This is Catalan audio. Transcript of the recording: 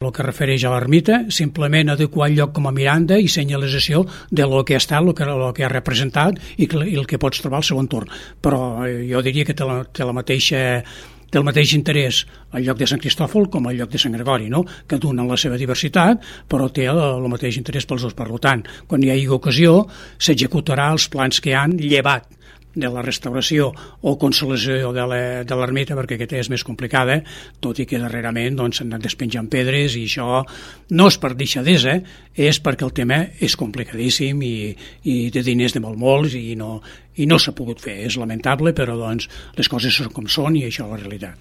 El que refereix a l'ermita, simplement adequar el lloc com a miranda i senyalització de lo que ha estat, lo que ha representat i el que pots trobar al seu entorn. Però jo diria que té el mateix interès al lloc de Sant Cristòfol com al lloc de Sant Gregori, no? Que donen la seva diversitat, però té el mateix interès pels dos. Per tant, quan hi hagi ocasió, s'executarà els plans que hi han llevat de la restauració o consolació de l'ermita, perquè aquesta és més complicada, tot i que darrerament s'han anat despenjant pedres, i això no és per deixadesa, és perquè el tema és complicadíssim i de diners de molts i no s'ha pogut fer. És lamentable, però les coses són com són i això és la realitat.